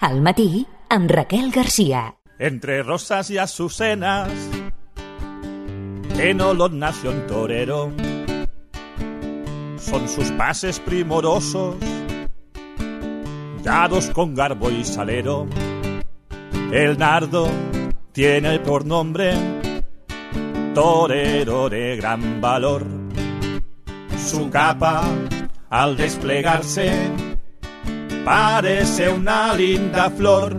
Al matí, amb Raquel García. Entre rosas y azucenas, en olor nació un torero. Son sus pases primorosos, dados con garbo y salero. El nardo tiene por nombre torero de gran valor. Su capa, al desplegarse, parece una linda flor.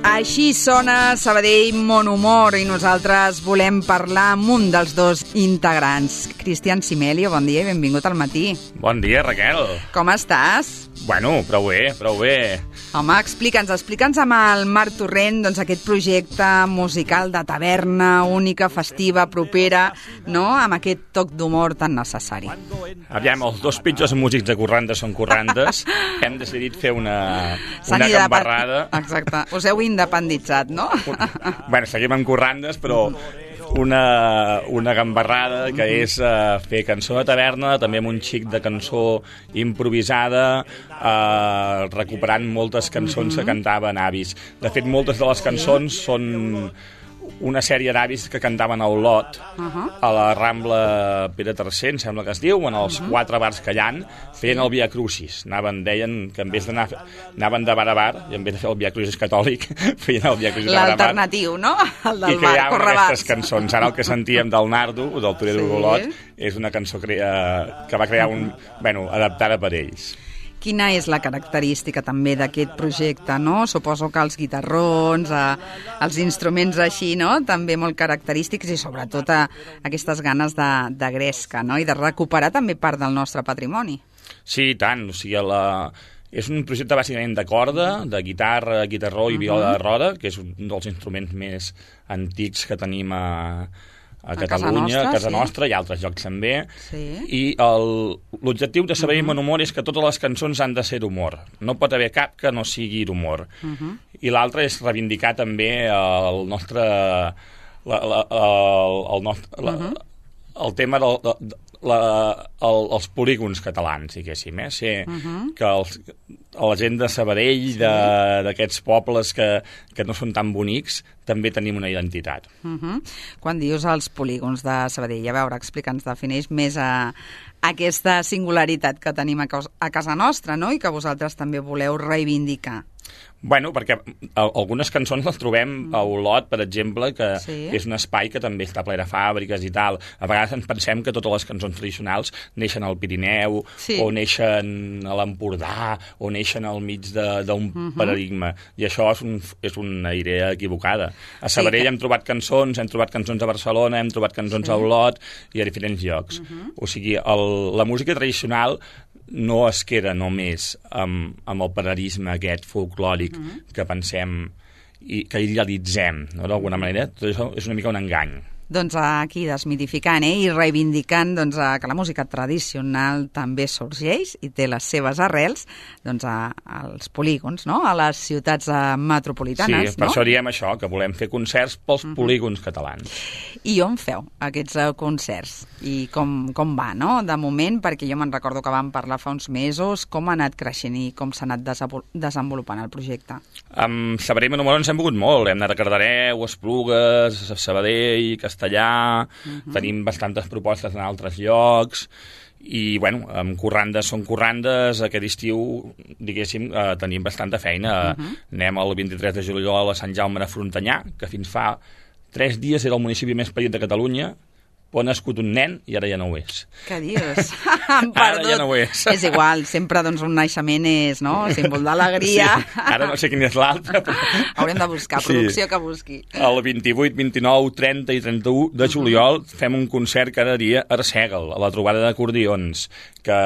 Així sona Sabadell Mon Humor i nosaltres volem parlar amb un dels dos integrants. Cristian Simelio, bon dia i benvingut al matí. Bon dia, Raquel. Com estàs? Bueno, prou bé, prou bé. Home, explica'ns amb el Marc Torrent aquest projecte musical de taverna, única, festiva, propera, no? Amb aquest toc d'humor tan necessari. Aviam, els dos pitjors músics de corrandes són corrandes. Hem decidit fer una gambarrada. Exacte. Us heu independitzat, no? Bueno, seguim amb corrandes, però una gambarrada que és fer cançó de taverna, també amb un xic de cançó improvisada, recuperant moltes cançons que cantaven avis. De fet, moltes de les cançons són una sèrie d'avis que cantaven a Olot, a la Rambla Pere III, em sembla que es diu, en els 4 bars que hi ha, feien el Via Crucis. Deien que en vez d'anar, anaven de bar a bar, i en vez de fer el Via Crucis catòlic, feien el Via Crucis de bar a bar. L'alternatiu, no? El del bar, i creaven aquestes cançons. Ara el que sentíem del Nardo, del torero d'Olot, és una cançó que va crear adaptada per ells. Quina és la característica també d'aquest projecte, no? Suposo que els guitarrons, els instruments així, no? També molt característics i sobretot aquestes ganes de gresca, no? I de recuperar també part del nostre patrimoni. Sí, i tant. O sigui, és un projecte bàsicament de corda, de guitarra, guitarró i viola de roda, que és un dels instruments més antics que tenim a Catalunya, a casa nostra, i altres llocs també. I l'objectiu de Sabadell Mon Humor és que totes les cançons han de ser d'humor. No pot haver cap que no sigui d'humor. I l'altre és reivindicar també el tema els polígons catalans, diguéssim. Que la gent de Sabadell, d'aquests pobles que no són tan bonics, també tenim una identitat. Quan dius els polígons de Sabadell, a veure, explica'ns, defineix més aquesta singularitat que tenim a casa nostra, no? I que vosaltres també voleu reivindicar. Bueno, perquè algunes cançons les trobem a Olot, per exemple, que és un espai que també està ple de fàbriques i tal. A vegades ens pensem que totes les cançons tradicionals neixen al Pirineu, o neixen a l'Empordà, o neixen al mig d'un paradigma. I això és una idea equivocada. A Sabadell hem trobat cançons a Barcelona, hem trobat cançons a Olot i a diferents llocs. O sigui, la música tradicional no es queda només amb el paradigma aquest folclòric que pensem i que idealitzem, no? D'alguna manera. Tot això és una mica un engany. Doncs aquí desmitificant i reivindicant que la música tradicional també sorgeix i té les seves arrels als polígons, no? A les ciutats metropolitanes. Sí, per això diem això, que volem fer concerts pels polígons catalans. I on feu aquests concerts? I com va, no? De moment, perquè jo me'n recordo que vam parlar fa uns mesos, com ha anat creixent i com s'ha anat desenvolupant el projecte? Amb Sabadell Mon Humor ens hem mogut molt. Hem anat a Cardedeu, a Esplugues, a Sabadell, Castellà, tenim bastantes propostes en altres llocs i, bueno, amb corrandes són corrandes. Aquest estiu, diguéssim, tenim bastanta feina. Anem el 23 de juliol a Sant Jaume de Frontanyà, que fins fa 3 dies era el municipi més petit de Catalunya, on ha nascut un nen i ara ja no ho és. Què dius? Ara ja no ho és. És igual, sempre un naixement és, no?, símbol d'alegria. Sí, ara no sé quin és l'altre. Però... Haurem de buscar, producció que busqui. El 28, 29, 30 i 31 de juliol fem un concert cada dia a Arsèguel, a la trobada d'acordions, que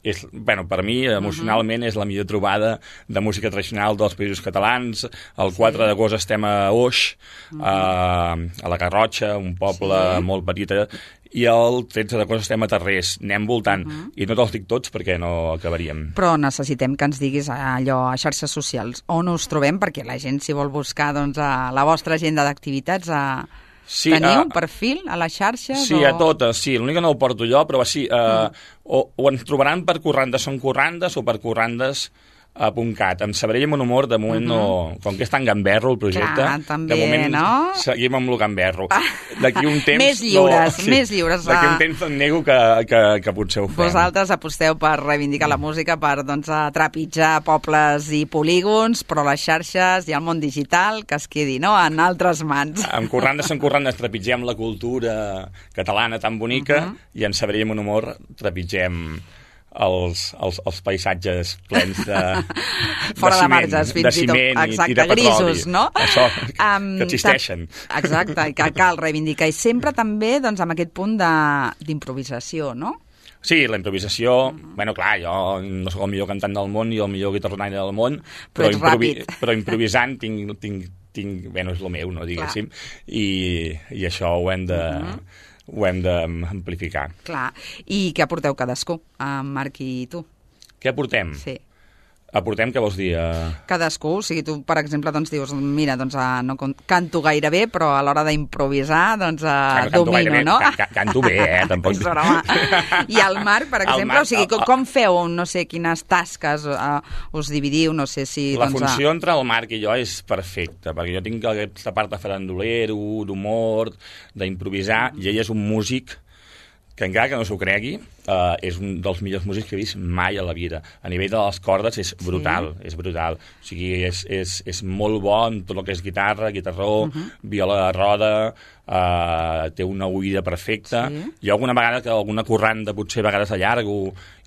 és, bueno, per mi, emocionalment, és la millor trobada de música tradicional dels països catalans. El 4 d'agost estem a Oix, a la Garrotxa, un poble molt petit petita, i el 13 d'agost estem a Tarrés, anem voltant, i no te'ls dic tots perquè no acabaríem. Però necessitem que ens diguis allò a xarxes socials on us trobem, perquè la gent, si vol buscar doncs, a la vostra agenda d'activitats, sí, teniu perfil a les xarxes? Sí, a totes, sí. L'únic que no ho porto jo, però sí, o ens trobaran per Corrandes són Corrandes o per corrandes.cat. Amb Sabadell i Monhumor, de moment, no... Com que és tan gamberro el projecte, clar, també, de moment no? seguim amb el gamberro. D'aquí un temps... Més lliures, més lliures. D'aquí un temps em nego que potser ho fem. Vosaltres aposteu per reivindicar la música, per doncs, trepitjar pobles i polígons, però les xarxes i el món digital que es quedi, no?, en altres mans. En Corrandes són Corrandes trepitgem la cultura catalana tan bonica i en Sabadell i Monhumor trepitgem els paisatges plens de fora de marges, fins de ciment i de petroli. Grisos, no? Això, que existeixen. Exacte, i que cal reivindicar. I sempre també doncs, amb aquest punt d'improvisació, no? Sí, la improvisació... Bueno, clar, jo no sóc el millor cantant del món i el millor guitarronaire del món, però improvisant tinc... Bueno, és el meu, no, diguéssim, i això ho hem de... ho hem d'amplificar. Clar. I què aporteu cadascú, en Marc i tu? Què aportem? Sí. Aportem, què vols dir? Cadascú, o sigui, tu, per exemple, doncs dius, mira, doncs no canto gaire bé, però a l'hora d'improvisar, doncs domino, no? Canto bé, tampoc. I el Marc, per exemple, o sigui, com feu, no sé, quines tasques us dividiu, no sé si... La funció entre el Marc i jo és perfecta, perquè jo tinc aquesta part de farandolero, d'humor, d'improvisar, i ell és un músic que encara que no s'ho cregui, és un dels millors músics que he vist mai a la vida. A nivell de les cordes és brutal, és brutal. O sigui, és molt bo en tot el que és guitarra, guitarró, viola de roda, té una oïda perfecta. Jo alguna vegada, que alguna corranda potser a vegades allargo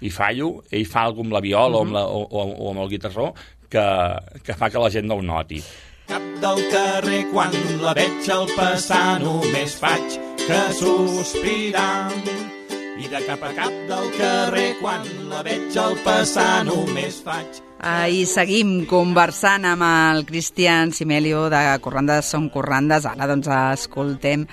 i fallo, ell fa alguna amb la viola o amb el guitarró que fa que la gent no ho noti. Cap del carrer, quan la veig al passar, només faig que sospirar. I de cap a cap del carrer, quan la veig al passar, només faig... I seguim conversant amb el Cristian Simelio de Corrandes són Corrandes. Ara doncs escoltem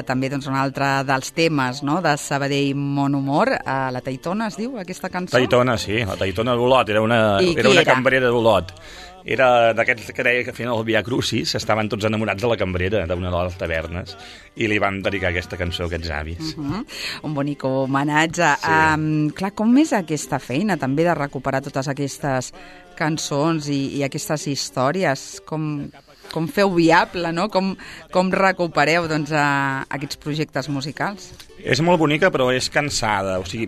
també doncs, un altre dels temes, no?, de Sabadell Monhumor. La Taitona es diu aquesta cançó? Taitona, sí, la Taitona d'Olot, era una cambrera d'Olot. Era d'aquests que deia que feien el Via Crucis, estaven tots enamorats de la cambrera d'una de les tavernes i li van dedicar aquesta cançó a aquests avis. Un bonic homenatge. Sí. Clar, com és aquesta feina també de recuperar totes aquestes cançons i aquestes històries? Com feu viable, no? Com recupereu doncs, aquests projectes musicals? És molt bonica, però és cansada. O sigui,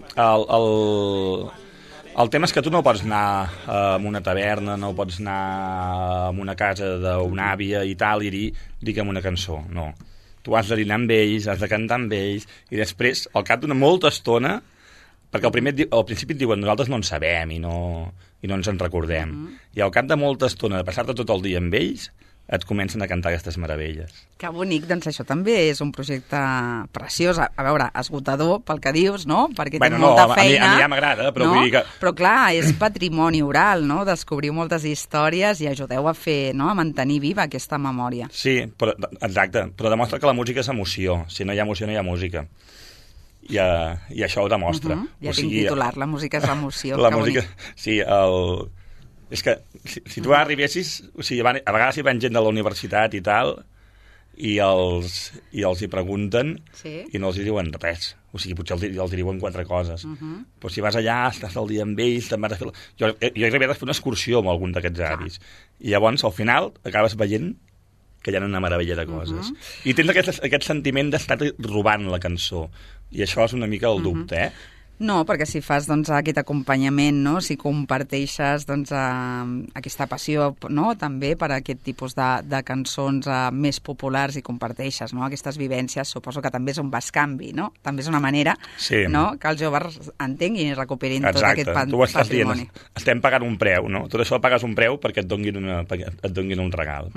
el tema és que tu no pots anar a una taverna, no pots anar a una casa d'una àvia i tal, i digue'm una cançó. No. Tu has de dinar amb ells, has de cantar amb ells, i després, al cap d'una molta estona, perquè al principi et diuen nosaltres no en sabem i no ens en recordem. I al cap de molta estona de passar-te tot el dia amb ells, et comencen a cantar aquestes meravelles. Que bonic, doncs això també és un projecte preciós, a veure, esgotador pel que dius, no? Perquè té molta feina. A mi ja m'agrada, però vull dir que... Però clar, és patrimoni oral, no? Descobriu moltes històries i ajudeu a fer, no?, a mantenir viva aquesta memòria. Sí, exacte, però demostra que la música és emoció. Si no hi ha emoció, no hi ha música. I això ho demostra. Ja tinc titular, la música és emoció. La música, sí, és que si tu arribessis, o sigui, a vegades hi van gent de la universitat i tal, i els hi pregunten i no els hi diuen res. O sigui, potser els hi diuen 4 coses. Però si vas allà, estàs el dia amb ells, te'n vas a fer... Jo he arribat a fer una excursió amb algun d'aquests avis. I llavors, al final, acabes veient que hi ha una meravella de coses. I tens aquest sentiment d'estar robant la cançó. I això és una mica el dubte, No, perquè si fas doncs, aquest acompanyament, no? Si comparteixes doncs, aquesta passió, no? També per aquest tipus de cançons més populars i comparteixes, no? Aquestes vivències, suposo que també és un bescanvi, no? També és una manera no? Que els joves entenguin i recuperin tot aquest patrimoni. Tu ho estàs dient, estem pagant un preu, no? Tot això pagues un preu perquè et donguin un regal.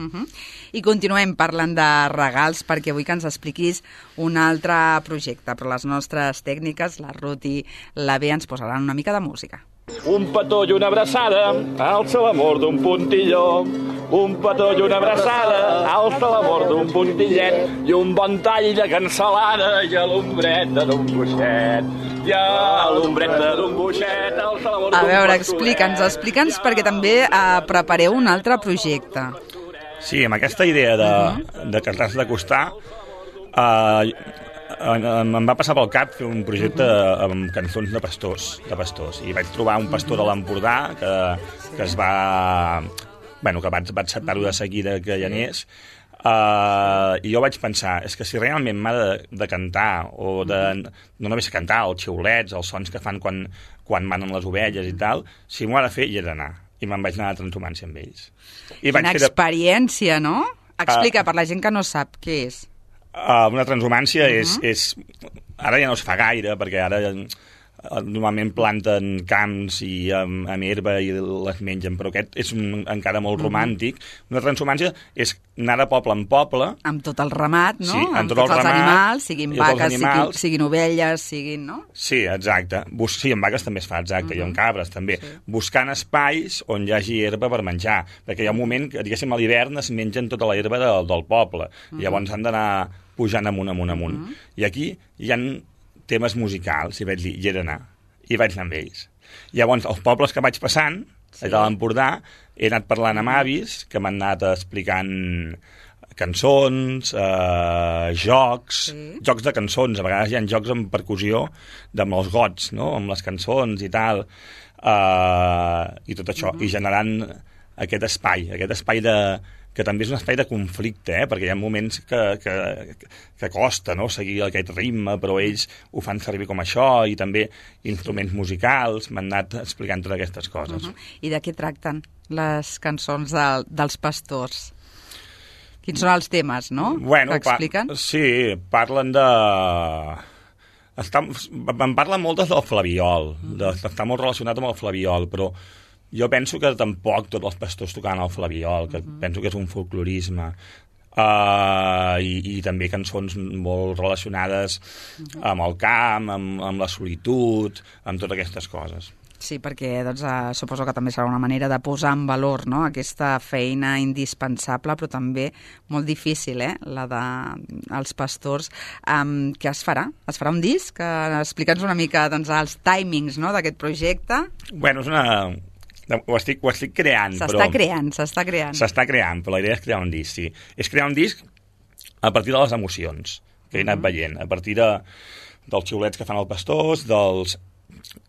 I continuem parlant de regals perquè vull que ens expliquis un altre projecte, però les nostres tècniques, la Ruth i la Bea, ens posaran una mica de música. Un petó i una abraçada, alça l'amor d'un puntilló. Un petó i una abraçada, alça l'amor d'un puntillet. I un bon tall de cansalada i a l'ombreta d'un coixet. I a l'ombreta d'un coixet, alça l'amor d'un A veure, pastoret. explica'ns, perquè també prepareu un altre projecte. Sí, amb aquesta idea de cartar-se d'acostar, em va passar pel cap fer un projecte amb cançons de pastors. I vaig trobar un pastor de l'Empordà que es va... Bueno, que vaig acceptar-ho de seguida que hi anés, i jo vaig pensar, és que si realment m'ha de cantar, o no només cantar, els xiulets, els sons que fan quan manen les ovelles i tal, si m'ho ha de fer, hi he d'anar. I me'n vaig anar a transhumància amb ells. Quina experiència, no? Explica, per la gent que no sap què és. Una transhumància és... Ara ja no es fa gaire, perquè ara normalment planten camps i amb herba i les mengen, però aquest és encara molt romàntic. Una transhumància és anar de poble en poble... Amb tot el ramat, no? Sí, amb tots els animals, siguin vaques, siguin ovelles, siguin... no? Sí, exacte. Sí, amb vaques també es fa, exacte, i amb cabres també. Sí. Buscant espais on hi hagi herba per menjar, perquè hi ha un moment que, diguéssim, a l'hivern es mengen tota la herba del poble. Llavors han d'anar pujant amunt. I aquí hi ha temes musicals, i vaig dir, hi he d'anar. I vaig anar amb ells. Llavors, els pobles que vaig passant, de l'Empordà, he anat parlant amb avis, que m'han anat explicant cançons, jocs de cançons. A vegades hi ha jocs amb percussió, amb els gots, no? Amb les cançons i tal, i tot això, i generant aquest espai que també és un espai de conflicte, perquè hi ha moments que costa, no?, seguir aquest ritme, però ells ho fan servir com això, i també instruments musicals, m'han anat explicant totes aquestes coses. I de què tracten les cançons dels pastors? Quins són els temes, no?, que expliquen? Sí, parlen de... Em parlen moltes del flabiol, està molt relacionat amb el flabiol, però jo penso que tampoc tots els pastors tocaven el flabiol, que penso que és un folclorisme, i també cançons molt relacionades amb el camp, amb la solitud, amb totes aquestes coses. Sí, perquè suposo que també serà una manera de posar en valor, no?, aquesta feina indispensable, però també molt difícil, la dels pastors. Què es farà? Es farà un disc? Explica'ns una mica els timings, no?, d'aquest projecte. Bueno, és una... Ho estic creant, S'està creant, però la idea és crear un disc, sí. És crear un disc a partir de les emocions que he anat veient, a partir dels xiulets que fan els pastors, de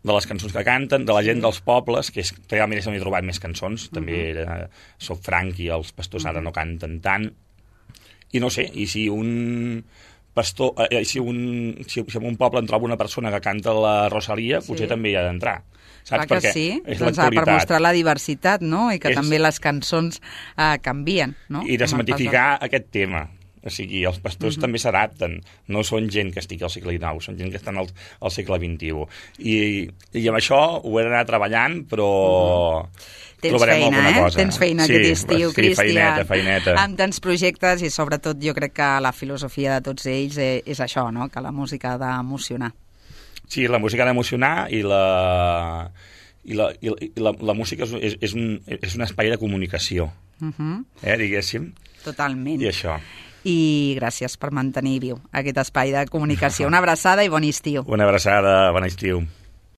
les cançons que canten, de la gent dels pobles, que realment és on he trobat més cançons, també soc franc i els pastors ara no canten tant, i no sé, i si un pastor, si en un poble en troba una persona que canta la Rosalia, potser també hi ha d'entrar. Saps? Clar que sí, per mostrar la diversitat, no?, i que també les cançons canvien, no? I desmitificar aquest tema. O sigui, els pastors també s'adapten, no són gent que estigui al segle XIX, són gent que estan al segle XXI. I amb això ho he d'anar treballant, però... Trobarem alguna cosa. Tens feina aquest estiu, Cristian. Feineta. Amb tants projectes, i sobretot jo crec que la filosofia de tots ells és això, no?, que la música ha d'emocionar. Sí, la música ha d'emocionar, i la música és un espai de comunicació, diguéssim. Totalment. I això. I gràcies per mantenir viu aquest espai de comunicació. Una abraçada i bon estiu. Una abraçada, bon estiu.